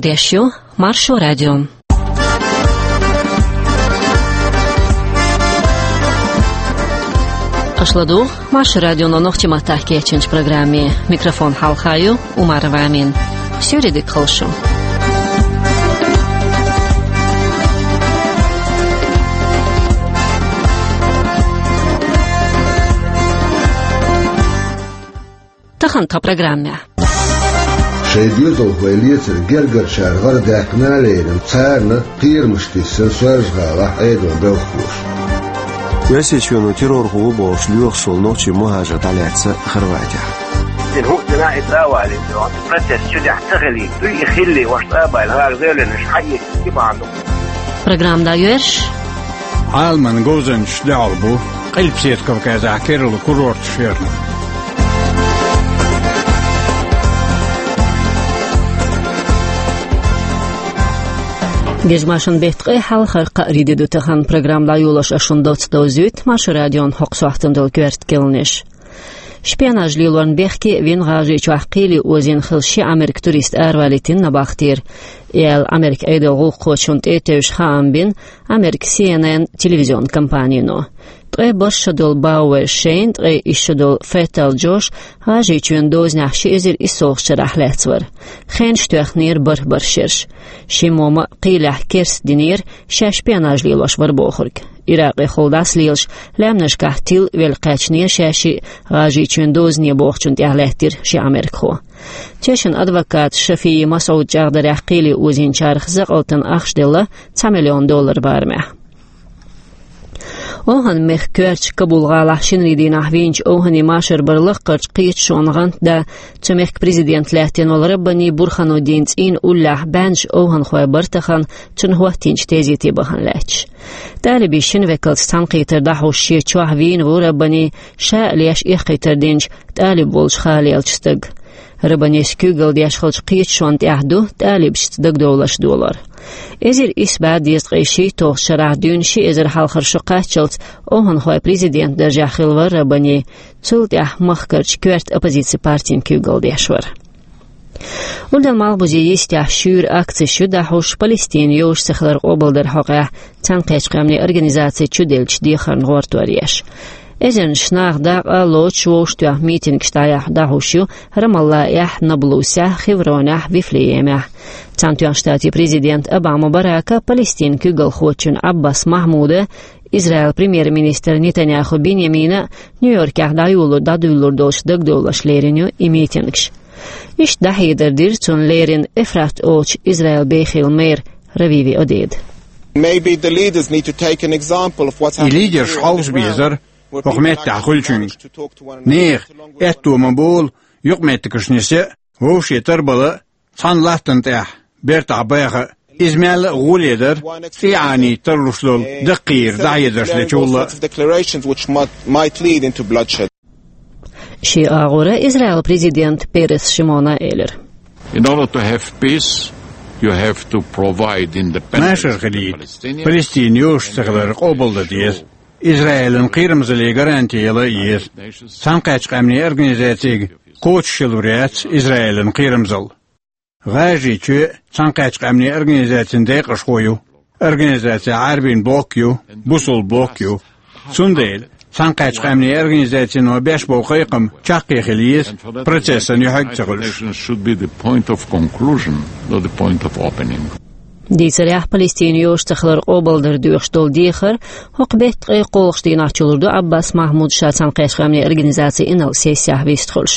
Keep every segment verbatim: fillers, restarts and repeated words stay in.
Деш ю Маршо радио. Аша ладугӀу Маршо радионо нохчийн маттахь кечйинчу программе. Микрофон хьалха ю Умарова Амина. Суьйре дика хуьлда шун. Тахана тхан программехь. Шайн доьзалхой лецар гергарчара гӀара даьккхина а лерина, царна кхерамаш тиссина Соьлжа-ГӀалахь Ӏедалан белхалоша. Оьрсийчоьно террор хӀун ву бохуш лоьхуш волу нохчийн мухӀажар дӀалаьцна Хорватехь. Иза хӀух дина и тӀе а валийта, процесс чу тӀехь ца хилийта, дуй и хилли, ваша тӀе а баьлла, хӀара заявленеш хьаэца, и бахьана ду. Программа дӀайоьрзуш. Ӏаламан говзанчаш дуьхьал бу Къилбаседа Кавказехь керла курорташ ярна. Гезмашин беттан ткъе хьалхара кхаарин де ду тахана. Программа дӀайолош ас шуна доцца довзуьйту Маршо радион хӀокху сохьтана долу коьрта кхаьънаш. Шпионаж лелорна бехке а вина, ГӀажарийчохь кхеле озийна хилла ши Ӏамеркан турист аравалийтина набахтера, аьлла, Ӏамеркан Ӏедалан гӀуллакххочунна тӀе а тевжаш хаам бина Американ Си Эн Эн телевизионан компанино. Ткъе бархӀ шо долу Бауэр Шейн, ткъе исс шо долу Феттал Джош ГӀажарийчоьнан дозанехь ши эзар иссалгӀачу шарахь лаьцна вара. Хенаш тоьхнера бархӀ-бархӀ шераш. Шимма а кхелехь керста динера, шаьш шпионаж лелош вара бохург. Иракъехула дӀасалелаш, лаьмнашкахь тилла велла кхаьчнера шаьшшиъ ГӀажарийчоьнан дозане бохучунна тӀехь лаьттира ши Ӏамеркахо. Тешан адвоката Шафии Масъуда чӀагӀдарехь, кхеле озийначарах закъалтана ахча делла цхьа миллион доллар барамехь. ОвхӀан-мехкан коьртачу Кабул-гӀалахь шинарин дийнахь вийначу ОвхӀанан машар бара лаккхарчу кхеташонан гӀантда. Цу мехкан президент лаьттина волу Раббани Бурхануддин цӀийнан уллехь бӀаьннаш овхӀанхой бара тахана, цунна хӀоттийначу тезете бахана лаьтташ. ТӀалибийн шина векалца цхьаьнакхетар дӀахьош шен чохь вийна ву Раббани, ша а леш эккхийтар динчу тӀалиб волчу халаеллачу стага. Раббанис куьйгалла деш хиллачу кхеташонна тӀехь ду тӀалибашца дагадовларш долор. Эзар исс бӀе дезткъе шийтталгӀачу шарахь дуьйна ши эзар хьалхара шо кхаччалц овхӀанхойн президентан даржехь хилла вара Раббани, цул тӀаьхьа махкарчу коьрта оппозицин партин куьйгалла деш вара. Урдалан малхбузе йистехь шуьйра акцеш ю дӀахьош Палестинан йозуш ца хилар къобалдаран хьокъехь Цхьаьнакхеттачу Къаьмнийн Организаци чуделлачу дехарна гӀортор еш. Эзарнаш нах дакъа а лоцуш, вовшахтоьхна митингаш дӀаяхьа дӀахьош ю Рамаллахехь, Наблусехь, Хевронехь, Вифлеемехь. Цхьаьнатоьхначу Штатийн президента Обама Барака, Палестинан куьйгалхочун Ӏаббас Махьмуда, Израилан премьер-министра Нетаньяху Биньямина Нью-Йоркехь дӀайоло-, дӀадуьйлалур долчу дагадовларш лерина ю и митингаш. Иштта дӀахьедар дира цунна леррина Эфрат олучу Израилан бехилан мэр Равиви Одеда. Maybe the leaders need to take an example of what's И happening лидерш here in хьовса Israel. Безара хӀокху меттехь хуьлучуьнга. Нехан аьтто ма болу юкъаметтигаш нисъян, вовшийн тарбала а, цхьана латтана тӀехь бертахь баха а. Иза мелла а гӀоле дара цӀий Ӏанийта тарлуш долу даккхийра дӀахьедарш лечул а. Declarations which might, might lead into bloodshed. Шен агӀора Израилан президента Перес Шимона элира: In order to have peace, you have to provide independence to the Palestinians. Машар хилийта, Палестинан йозуш ца хилар къобалдан деза. Израилан кхерамзаллин гаранти яла а еза. Цхьаьнакхеттачу Къаьмнийн Организацига кхочушъялур яц Израилан кхерамзалла. ГӀажарийчоь Цхьаьнакхеттачу Къаьмнийн Организацин декъашхо ю. Организацехь Ӏаьрбийн блок ю, бусалба блок ю. Цундела Цхьаьнакхеттачу Къаьмнийн Организацино беш болу кхайкхам чаккхе хила еза, процессан юьхьиг а ца хуьлуш. Should be the point of conclusion, not the point of opening. Дийцарехь, Палестинан йозуш ца хилар къобалдар доьхуш долу дехар хӀокху беттан ткъе кхоалгӀачу дийнахь чулур ду Ӏаббас Махьмуда ша Цхьаьнакхеттачу Къаьмнийн Организацин инарла сессехь вистхуьлуш.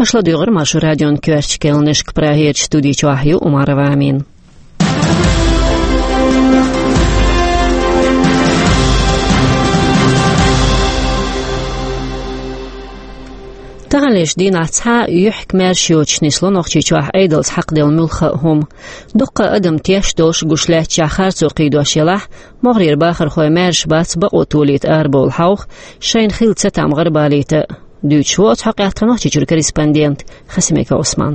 Аша ладуьйгӀира Маршо радион коьртачу кхаьънашка, Прагерчу студи чохь ю Умарова Амина. Таханлерчу дийнахь цхьа а юьхькӀа маьрша йоцуш нисло Нохчийчохь Ӏедалца хьакхаделла муьлхха а хӀума. Дуккха а адам теш долуш гуш лаьттачохь харцо кхийдош елахь, могӀарера бахархой маьрша бац бакъо толийта арабовла хьовха, шайна хилла цатам гӀарабалийта. Дуьйцуш ву оцу хьокъехь тхан Нохчийчуьра корреспондент Хасимиков Ӏусман.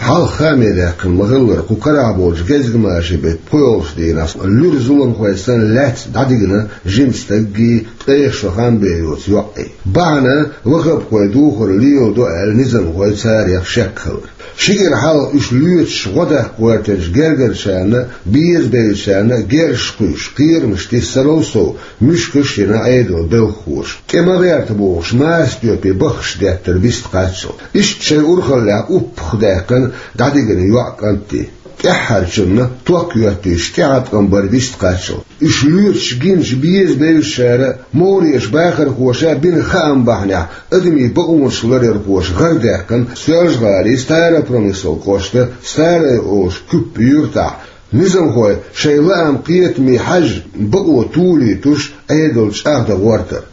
Хьалха хаамедаьккхина ма-хиллара, кху карахь болчу гезгмашин беттан пхоьалгӀачу дийнахь луьра зуламхой санна лаьцна дӀадигна жима стаггий, ткъех шо хан бен йоцу йоӀий. Бахьана ваххабхой духар леладо аьлла, низамхой царех шек хилар. Ши кӀира хьалха уьш лоьцуш гӀо даккха гӀоьртинчу гергарчарна, безабевллачарна герзаш кхуьйсуш, кхерамаш тиссарал сов, муьшкаш а йина Ӏедалан белхахоша. ТӀе ма гӀерта бохуш, Марсетойпе баххаш деттара бист кхаччалц. Иштта шайн урхаллехь уппах даьккхина дӀадигна йоӀ, кӀант а. ТӀаьххьарчунна ток йоьттуьйтуш тӀеӀаткъам бара бист кхаччалц. Уьш лоьцуш гиначу безабевллачара а, могӀарерчу бахархоша а бина хаам бахьанехь, адамийн бакъонаш ларъярхоша гӀар даьккхина Соьлжа-ГӀалин Старопромыслан кӀоштан Старое олучу Куьппа юьртахь, низамхой шайн лаам-кхетаме хьаьжжина, бакъо толуьйтуш, Ӏедал чӀагӀдан гӀортар.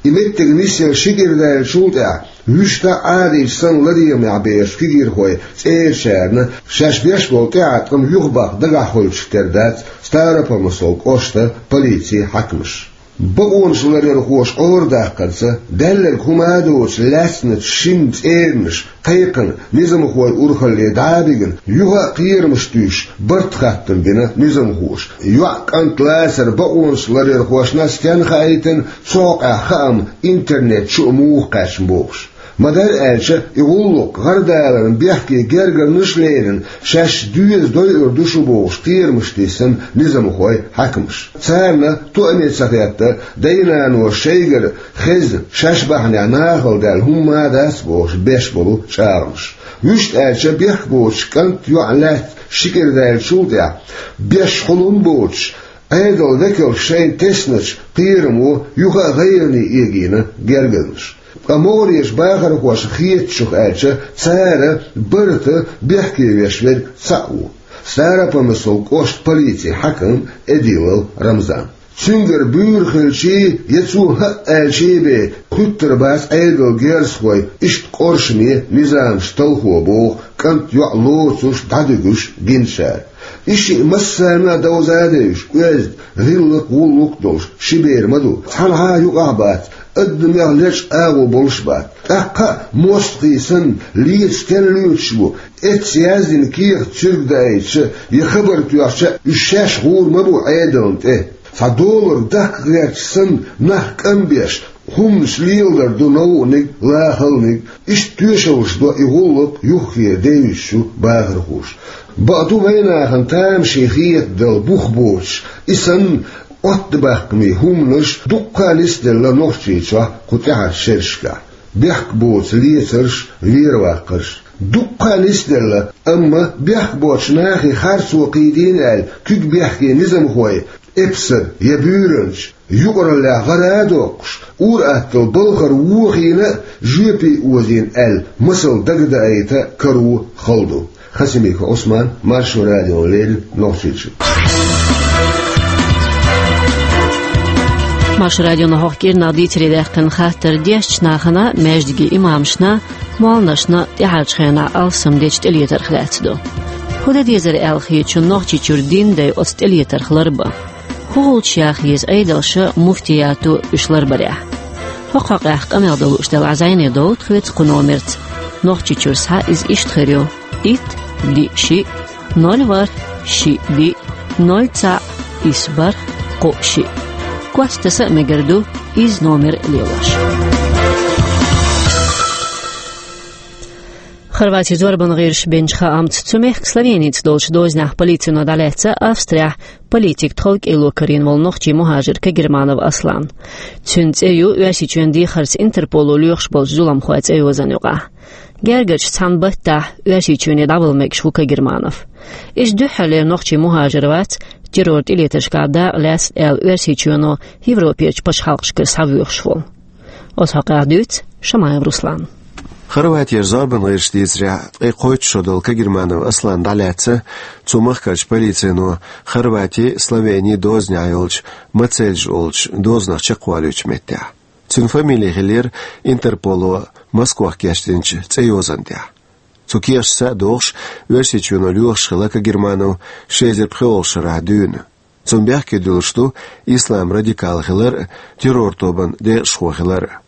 И меттиг нисъелла ши кӀира даьллачул тӀаьхьа, вуьшта а Ӏадийча санна ладегӀамехь бехачу кегийрхойн цӀерачарна шаьш беш болу тӀеӀаткъам юхабаккха дагахь хуьлучух тера дац Старопромыслан кӀоштан полицин хьаькамаш. Бакъонаш ларъярхоша Ӏорадаккхарца, даьлларг хӀума а доцуш, лаьцначу шина цӀеранаш кхайкхина, низамхойн урхалле дӀа а бигна, юха а кхерамаш туьйсуш, барт хаттам бина низамхоша. ЙоӀ-кӀант лацар бакъонаш ларъярхошна стенна хаийтина, цу хьокъехь хаам интернет чу а муха кхаьчна бохуш. Ма-дарра аьлча, и гӀуллакх гӀардаларна бехке гергарнаш а лерина, шаьш доьза дойур ду шу бохуш, кхерамаш тиссина низамхой, хьаькамаш. Царна тоаме ца хетта, дай-наной шайгара хезна, шаьш бахьанехь нахала даьлла хӀумма а дац бохуш беш болу чӀагӀамаш. Вуьшта аьлча, бехк боцуш кӀант, йоӀ лаьцна ши кӀира даьллачул тӀаьхьа, беш хьулам боцуш, Ӏедалан векалша шайна тесначу кхерамо юха а гӀайгӀане эгийна гергарнаш. Ткъа могӀарерчу бахархошна хетачух аьлча, цара барта бехке веш верг цхьаъ ву: Старопромыслан кӀоштан полицин хьаькам Эдилов Рамзан. Цуьнгара буьйра хилчий я цо хӀаъ аьлчий бен, хуьттур бац Ӏедалан герзахой иштта къоршаме низамаш талхо, боху кӀант, йоӀ лоцуш, дӀадуьгуш гиначара. И шиъ массарна а довза а девзаш, оьзда, гӀиллакх, гӀуллакх а долуш ши бер ма ду. Цхьанхьа а юкъахь а бац, адамех лечкъа агӀо болуш а бац. ТӀаккха а, мостагӀий санна, леца стенна лоьцуш бу? Эцца яздина кехат цуьрга даийтича я хабар тоьхча, уьш шаьш гӀур ма бу Ӏедална тӀе. Цхьа доларг даккха гӀерташ санна, нах кӀам беш, хӀуманаш леладар ду новкъаниг, лахалниг. Иштта тоьшаллаш до и гӀуллакх юххера девзачу бахархоша. Бакъду, вайнахана тамашийна хетарг дала бух боцуш, и санна оттабаьккхинчу хӀуманаш дуккха а нисделла Нохчийчохь кху тӀаьхьарчу шерашкахь. Бехк боцу лецарш, вераваккхарш. Дуккха а нисделла, амма бехк боцучу нахе харцо кхийдийна аьлла, куьг бехке низамхой эпсар я буьйранча, юкъараллехь гӀара а доккхуш, ур-атталла балхара вохийна а, жоьпе озийна аьлла, масал дагадаийта а каро хала ду. Хасимиков Ӏусман, Маршо радиона леррина, Нохчийчуьра. Маршо радионо хӀокху кӀирнах дийцаре даьккхина хаттар дешначу нахана, маьждигийн имамашна, молланашна тӀаьхьарчу хенахь алсам дечу тӀелетарх лаьцна ду. ХӀун дан дезара аьлла хетачунна Нохчийчуьра дин дай оцу тӀелетарх ларбан? ХӀун хуьлуш яха еза Ӏедалша, муфтиято уьш ларбарехь? ХӀокху хьокъехь къамел дан лууш делахь, зӀене довтта хьоьца кху номерца. Нохчийчуьра схьа иза иштта хир ю: итт, диъ, шиъ, ноль, ворхӀ, шиъ, диъ, ноль, цхьаъ, исс, бархӀ, кхоъ, шиъ. Кост таса а мегар ду иза номер лелош. Хорватин зорбан гӀирсаша бинчу хаамца, цу мехкан Словеница долчу дозанехь полицино дӀалаьцна Австрехь политикан тховкӀело карийна волу нохчи мухӀажир Кагерманов Аслан. Цуьнан цӀе ю Оьрсийчоьнан дехарца Интерполо лоьхуш болчу зуламхойн цӀейозанна юкъахь. Гергарчу цхьана баттахь Оьрсийчоьне дӀавала мегаш ву Кагерманов. Иза дуьххьарлера нохчи мухӀажир вац, террор тӀелетаршкахь дакъа лаьцна аьлла, Оьрсийчоьно Европерчу пачхьалкхашкара схьавоьхуш волу. Оцу хьокъехь дуьйцу Шамаев Руслана. Хорватера зорбан гӀирсаша дийцарехь, ткъе кхойтта шо долу Кагерманов Аслан дӀалаьцна цу махкарчу полицино Хорвати, Словени дозанехь йолчу Мацельж олучу дозанах чекхвалуьйтучу меттехь. Цуьнан фамили хиллера Интерполо Москвахь кечдинчу цӀейозанна тӀехь. Цу кехаташца а догӀуш, Оьрсийчоьно лоьхуш хилла Кагерманов ши эзар пхоьалгӀачу шарахь дуьйна. Цунна бехке дуьллуш ду ислам радикал хилар а, террор тобанан декъашхо хилар а.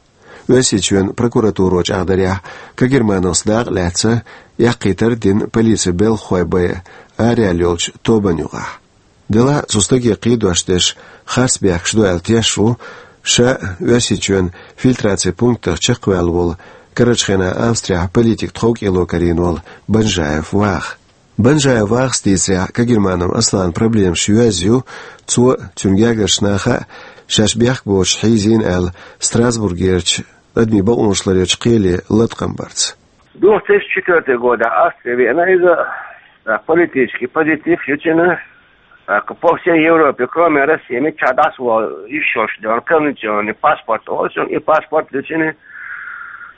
Оьрсийчоьнан прокуратуро чӀагӀдарехь, Кагермановс дакъа лаьцна, эккхийтар а дина полицин белхахой байъа араяьлла йолчу тобанна юкъахь. Делахь а цу стаге кхийдош дерш харц бехкаш ду аьлла тешаш ву ша а Оьрсийчоьнан фильтрацин пунктах чекхваьлла волу, карарчу хенахь Австрехь политикан тховкӀело карийна волу Банжаев Ваха. Банжаев Вахас дийцарехь, Кагерманов Асланан проблемаш йоьзна ю, цо а, цуьнан гергарчу наха а шаьш бехк боцуш хьийзийна аьлла, Страсбургерчу адамийн бакъонаш ларъечу кхеле латкъам барца. Две тысячи четвёртый годехь Австри веана иза, а, политический позитив ю цуьнан, а, по всей Европе, кроме России, миччахь дӀасавала йиш йолуш, дуьйна, конвенционный паспорт олу цуьнан, и паспорт ю цуьнан,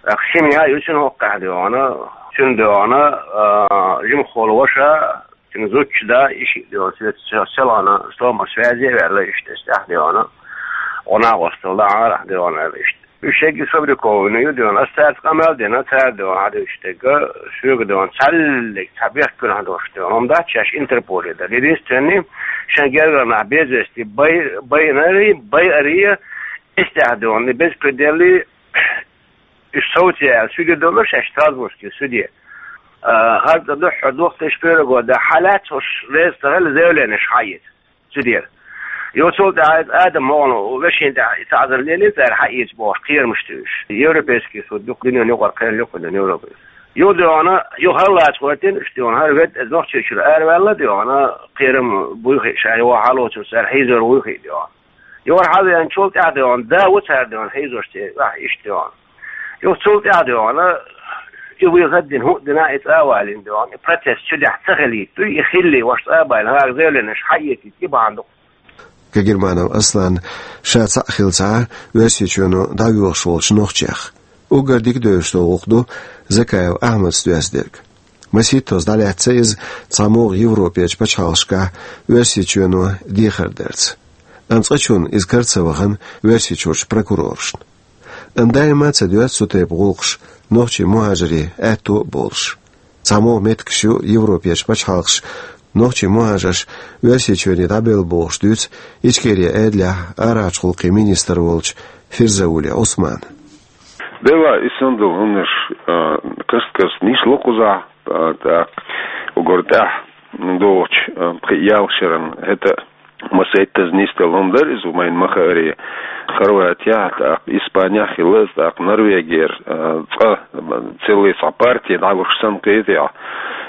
а, семья ю цуьнан хӀокхуьнан, дуьйна, цуьнан, дуьйна, а, жимахволу ваша, цуьнан зудчун да, и шиъ, дуьйна, цуьнан селхана стомма связе а ваьлла, иштта, тӀаьхьа, дуьйна, гӀо-накъосталла дан Ӏарахь, дуьйна, аьлла, иштта. Уьш шегга сфабрикованный ю, дуьйна. Ас цаьрца къамел дина, цара, дуьйна, хьан дуьйцу стегга, соьга, дуьйна, цхьаьллиг цхьа бехк куьнахь долуш, дуьйна, хӀума дац шаьш интерполе дара. Единственный, шайн гергара нах безвести бай-, байинарий, байарий, эстехь, дуьйна, и беза куьделлий, уьш совций аьлла, суьде долуш шаьш Страсбургский суьде. А, хӀара цӀа дуьххьара две тысячи первый года хьалаьцна уьш реза ца хилла заявленеш хьаэца. Цу дера. Йо, цул тӀаьхьа иза Адам могӀано вешина тӀехь и цхьа азар лелийна цара хьаэца бохуш, кхерамаш туьйсуш. Европейский суд ю-кх дуьненан юкъара кхел ю-кх дуьненан Европа. Йо, дуьйна, йо, хӀара лаца гӀоьртина уьш, дуьйна, хӀара ведда, иза нохчочуьра араваьлла, дуьйна, кхерам буй хиъ ша, йо, хьалоцург цара хьийзор вуй хиъ, дуьйна. Йо, хӀара хьавеанчул тӀаьхьа, дуьйна, да ву цара, дуьйна, хьийзош церан, ахь иштта, дуьйна. Йо, цул тӀаьхьа, дуьйна, и вуй хаддина хӀуъа дина, и цӀа а валийна, дуьйна, и процесс цу тӀехь ца хилийта дуй, и хилли, ваша цӀа а баьлла, хӀара заявленеш хьаэцийта, и бахьана ду-кх. Кагерманов Аслан ша цхьаъ хилла ца Ӏа Оьрсийчоьно дӀавоьдуш волчу нохчех. Уггар дика девзаш долу гӀуллакх ду Закаев Ахьмада доьзна дерг. Масийттаза дӀалаьцна иза цхьамогӀа Европерчу пачхьалкхашкахь Оьрсийчоьно дехар дарца. Амма цкъачунна иза кара ца вахана Оьрсийчуьрчу прокурорашна. Амма даима а ца доьду цу тайпа гӀуллакхаш нохчийн мухӀажарийн аьтто а болуш. ЦхьамогӀа меттигаш ю Европерчу пачхьалкхаша нохчийн мухӀажарш Оьрсийчоьне дӀабелла бохуш дуьйцу Ичкерин Ӏедалехь арахьарчу гӀуллакхийн министр волчу Фирзаули Ӏусмана. Делахь, и санна долу хӀуманаш, а, каст-каста нисло кхузахь, а, тӀаккха уггар тӀаьхьа догӀучу, а, пхи-ялх шеран хӀета масийттаза нисделла хӀума дара иза, вайна ма-хаъара, Хорватехь, тӀаккха Испанехь хилла иза, тӀаккха Норвегера, а, цкъа, а, целый цхьа партия дӀалуш санна кхетий,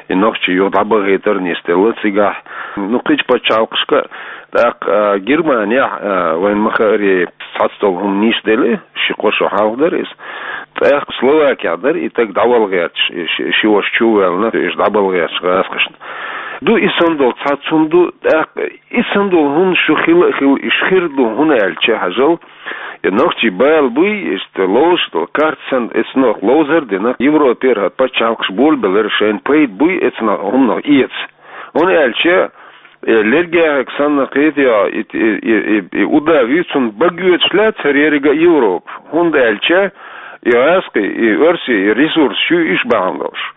и нохчий юха дӀабахийтар а нисделла цигахь. Ну, кхечу пачхьалкхашка, тӀаккха, а, Германехь, а, вайна ма-хаъара, цхьацца долу хӀума нисделла, ши-кхо шо хьалха дара иза. ТӀаккха Словакехь дара и стаг дӀабала гӀерташ, и ши, ши ваша чу а ваьлла, уьш дӀабала гӀерташ гӀазкхашна. Ду и санна долу цхьацца хӀума ду, тӀаккха и санна долу хӀуманаш шу хила а хилла, уьш хир ду, хӀунда аьлча, хьажал, и нохчий бала буй, иштта ловзуш долу карта санна, эцнах ловзар а дина, Европера хӀара пачхьалкхаш болабелира, шайна пайда буй эцнах хӀуманах эца. ХӀунда аьлча, э, лергехь санна кхетий, и, и, и, и, и удав ю, цунна бага оьцуш лаьцна хӀара еррига а Европа. ХӀунда аьлча, и гӀазкхий, и оьрсий, и ресурсаш ю уьш бахьана долуш.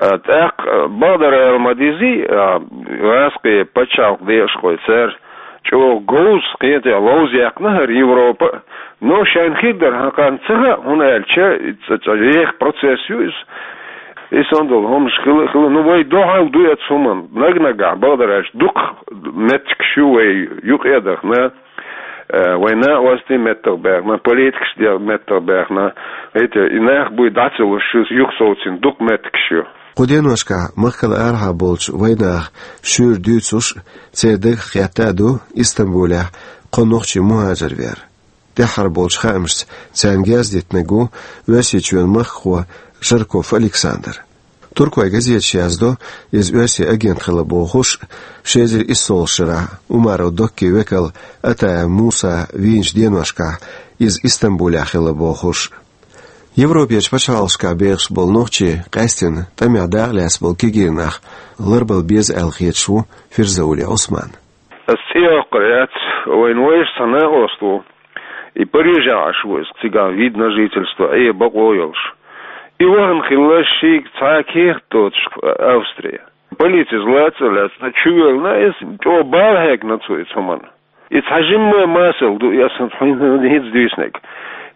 А, тӀаккха, а, бакъдар ала ма дезий, а, гӀазкхий пачхьалкхан декъашхой, цара чӀогӀа говза кхетий ловза яьккхина хӀара Европа, но шайна хир дар хьан кхарна ца хаьа, хӀунда аьлча, и цӀа-, цӀа еха процесс ю иза. И санна долу хӀуманаш хила, хила, ну, вай дуьхьал ду эцу хӀуманна, наг-нагахь, бакъдар аьлча, дукха меттигаш ю вай юкъа а дахана, э, вай накъостий меттах баьхна, политикаш де-, меттах баьхна, эти, и нах буй дӀа ца луш, шу юхасовцийна дукха меттигаш ю. Кху деношкахь махкал арахьа болчу вайнаха шуьйра дуьйцуш, церан дагах хетта а ду Истамбулехь кхо нохчий мухӀажар вер. ТӀаьххьара болчу хаамашца царна герз диттинарг ву Оьрсийчоьнан махкахо Жарков Александр. Туркойн газеташ яздо, иза оьрсийн агент хилла бохуш, ши эзар иссолгӀачу шарахь Умаров Доккин векал Атаев Муса вийначу деношкахь иза Истамбулехь хилла бохуш. Европерчу пачхьалкхашкахь бехаш болу нохчий къаьстина тӀамехь дакъа лаьцна болу кегий нах ларбала беза аьлла хеташ ву Фирзаули Ӏусман. Ас цӀе йоккхур яц, вайна вайша цхьа накъост ву. И Парижехь Ӏаш ву иза, цигахь вид на жительство, Ӏе бакъо йолуш. И вахана хилла шийга цхьа а кехат доцуш Австрия. Полицис лаца а лаьцна, чувоьллина иза, чӀогӀа бала хьегна цо иза хӀуманна. И цхьа жимма масал ду, и аса хьуна хӀинца дуьйцинарг.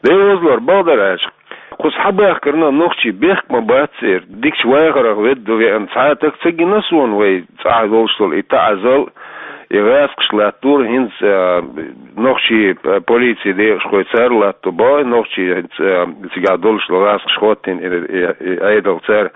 Дай вазлар, бакъдар аьлча, кхуза хьабахкарна нохчий бехк ма бац церан, дикачу вахарах ведда веана цхьа а таг ца гина суна вай цӀахь долуш долу и таӀзал, и гӀаскхаш латтора хӀинца, а, нохчий, а, полицин декъашхой цара латто боху, нохчий хӀинца, а, цигахь долуш долу гӀаскхаш хӀоттийна и, и, и Ӏедал цара.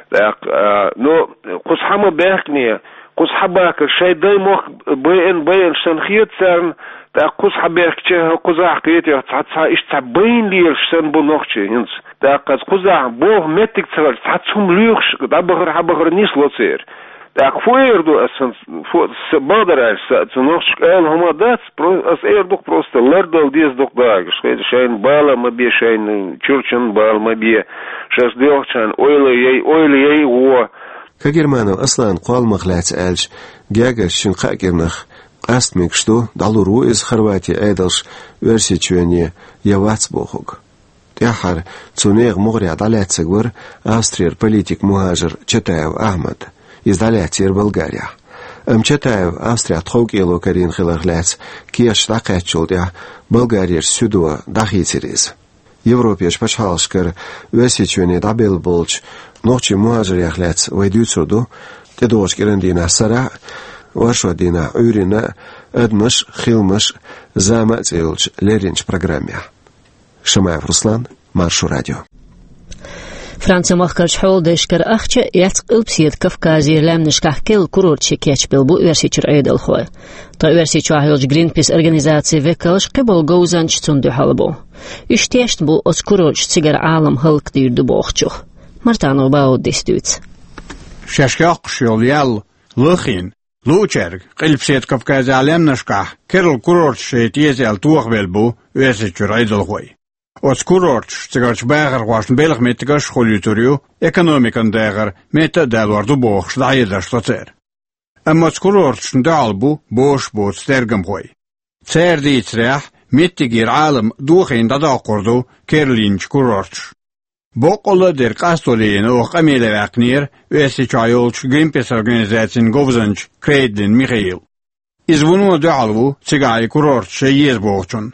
ТӀаккха, а, ну, кхуза хьа ма баьхкине, кхуза хьабахкар шайн дай мохк байина, байина санна хета царна, тӀаккха кхуза хьабаьхкича, кхузахь кхетий цхьа, цхьа иштта цхьа байна лелаш санна бу нохчий хӀинца. ТӀаккха кхузахь боху меттиг ца хилча, цхьацца хӀума лоьхуш, дӀабахар, хьабахар нисло церан. ТӀаккха фу эр ду аса, фу, са бакъдар аьлча, са, цу нохчашка ала хӀума дац, про-, аса эр ду-кх просто, лардала деза ду-кх дагаш, хеза, шайна бала ма бе, шайна чурчан бала ма бе, шаьш доьхучарна ойла яй, ойла яй гӀо. Кагерманов Асланан кхолламах лаьцна аьлча, гергарчу шина кхаа кӀирнах къаста мегаш ду, дӀалур ву иза Хорватин Ӏедалш Оьрсийчоьне я вац бохург. ТӀаьххьара цу нехан могӀарехь дӀалаьцнарг вара Австрера политик-мухӀажар Чатаев Ахьмад. Иза дӀалаьцнера Болгарехь. Амма Чатаев Австрехь тховкӀело карийна хиларх лаьцна кехаташ дӀакхаьчначул тӀаьхьа Болгарерчу суьдо дӀахийцира иза. Европерчу пачхьалкхашкара Оьрсийчоьне дӀабелла болчу нохчийн мухӀажарех лаьцна вай дуьйцур ду тӀедогӀучу кӀиран дийнахь сарахь а, оршот дийнахь Ӏуьйранна а, «Адамаш а, хиламаш а, зама а» цӀе йолчу лерринчу программехь. Шамаев Руслан, Маршо радио. Францин махкарчу хьоладайшкара ахча а эцна, Къилбаседа Кавказера лаьмнашкахь керла курорташ кечбелла бу Оьрсийчуьра Ӏедалхой. Ткъа Оьрсийчохь йолчу Гринпис организацин векалш, кхиболу говзанчаш цунна дуьхьал бу. Уьш тешна бу оцу курорташа цигара Ӏалам хӀаллакдийр ду бохучух. Мартанов Бауддис дуьйцу. Шаьш йоккхуш йолу ял лахийна, луучаьрга Къилбаседа Кавказехь лаьмнашкахь керла курорташ яйта еза аьлла тохабелла бу Оьрсийчуьра Ӏедалхой. Оцу курорташа цигарчу бахархошна белхан меттигаш а хуьлуьйтур ю, экономикан дехар метта а далор ду бохуш, дӀахьедарш до церан. Амма оцу курорташна дуьхьал бу бозуш боцу тергамхой. Цара дийцарехь, меттигера Ӏалам дохийна дӀадоккхур ду керлайинчу курорташа. Боккъалла а дерг къасто лелийна оха къамеле ваьккхинера Оьрсийчохь йолчу Гринпис организацин говзанча Крейдлин Михаил. Иза вуно дуьхьал ву цигахь и курорташ яйта еза бохучунна.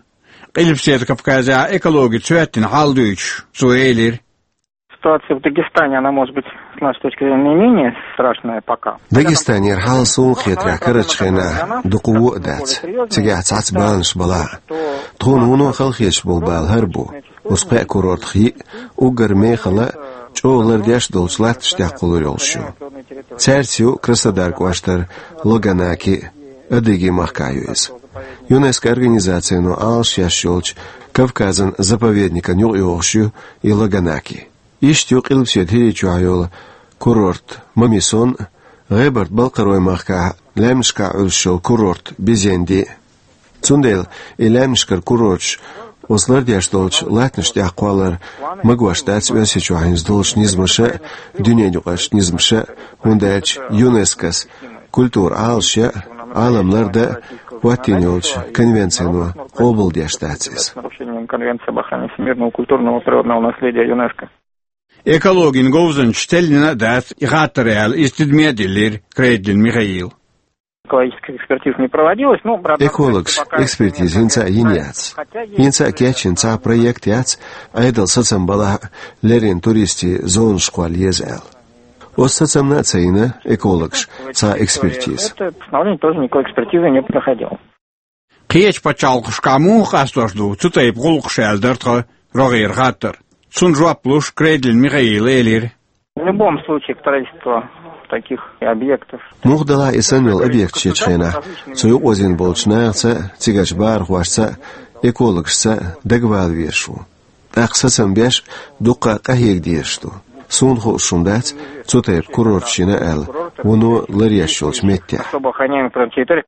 Къилбаседа Кавказехь экологица хӀоьттина хьал дуьйцуш, цо элира: Ситуация в Дагестане, она может быть, с нашей точки зрения, наименее страшная пока. Дагестанера хьал суна хетарехь карарчу хенахь дукха вон а дац. Цигахь цхьацца баланаш балахь а. Тхуна вуно халахеташ болу бала хӀара бу. Оцу кхаа курортах йиъ, уггар мехала а, чӀогӀа лардеш а долчу латтанаш тӀехь кхуллур йолуш ю. Цаьрца ю Краснодар кӀоштара Лаганаки а, Адыги махкахь ю иза. ЮНЕСКО организацино Ӏалашъеш йолчу Кавказан заповедникан юкъайогӀуш ю и Лаганаки. Иштта ю Къилбаседа ХӀирийчохь йолу курорт Мамисон а, ГӀебарта-Балкхаройн махкахь лаьмнашкахь Ӏуьллуш йолу курорт Бизенди а. Цундела и лаьмнашкара курорташ оцу лардеш долчу латтанаш тӀехь кхоллар магош дац Оьрсийчохь хӀинца долчу низамаша а, дуьненаюкъарчу низамаша а, хӀунда аьлча ЮНЕСКОс культура Ӏалашъян а, Ӏалам лардан а хӀоттийна йолчу конвенцино къобалдеш дац иза. С нарушением Конвенции об охране всемирного культурного природного наследия ЮНЕСКО. Экологин говзанчаш теллина а дац и хаттар аьлла, иза тидаме а диллира Крейдлин Михаила. Экологических экспертиз не проводилось, но, правда, экологаша пока экспертиза хӀинца а йина яц. ХӀинца а кечйина цхьа проект яц, Ӏедалан сацам балахь а, леррина туристийн зонаш кхолла еза аьлла. Оцу сацамна а ца йина экологаша цхьа экспертиза. Это постановление тоже никакой экспертизы не проходило. Кхечу пачхьалкхашкахь муха къастош ду цу тайпа гӀуллакхаш аьлла дара тхан рогӀера хаттар. Цунна жоп луш, Крейдлин Михаила элира: В любом случае, строительство таких объектов. Муха делахь а и санна йолу объекташ ечу хенахь, цу юкъаозийна болчу нахаца а, цигарчу бахархошца а, экологашца а дагавала везаш ву. ТӀаккха сацам беш а, дуккха а къахьега дезаш ду. Суна хууш хӀума дац цу тайпа курорташ йина аьлла вуно ларъеш йолчу меттехь. Особо охраняемых природных территорий.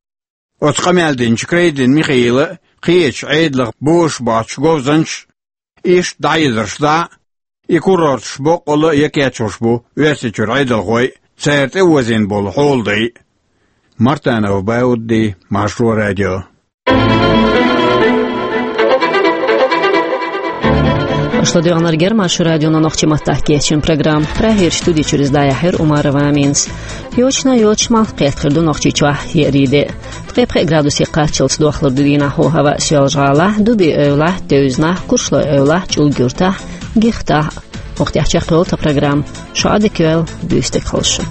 Оцу къамел динчу Крейдлин Михаила а, кхечу Ӏедалх бозуш боцчу говзанчаша а иштта дӀахьедарш дӀа а, и курорташ боккъалла а якхеташ бу Оьрсийчуьра Ӏедалхой а, цара тӀеозийна болу хьоладай а. Мартанов Баудди, Маршо радио. Аша ладоьгӀнарг яра Маршо радион нохчийн маттахь кечйина программа. Прагерчу студи чуьра иза дӀаяьхьира Умарова Аминас. Йочана йоцуш малх кхетта хир ду Нохчийчохь еарин де. Ткъе пхи градусе кхаччалц дохлур ду дийнахьа хӀаваъ Соьлжа-ГӀалахь, Дуби-Эвлахь, Девзанахь, Куршлой-Эвлахь, ЧӀулга-Юртахь, Гихтахь. Укх тӀехь чекхйолу тхан программа. Шун Ӏадика йойла, буьйса дика хуьлда шун.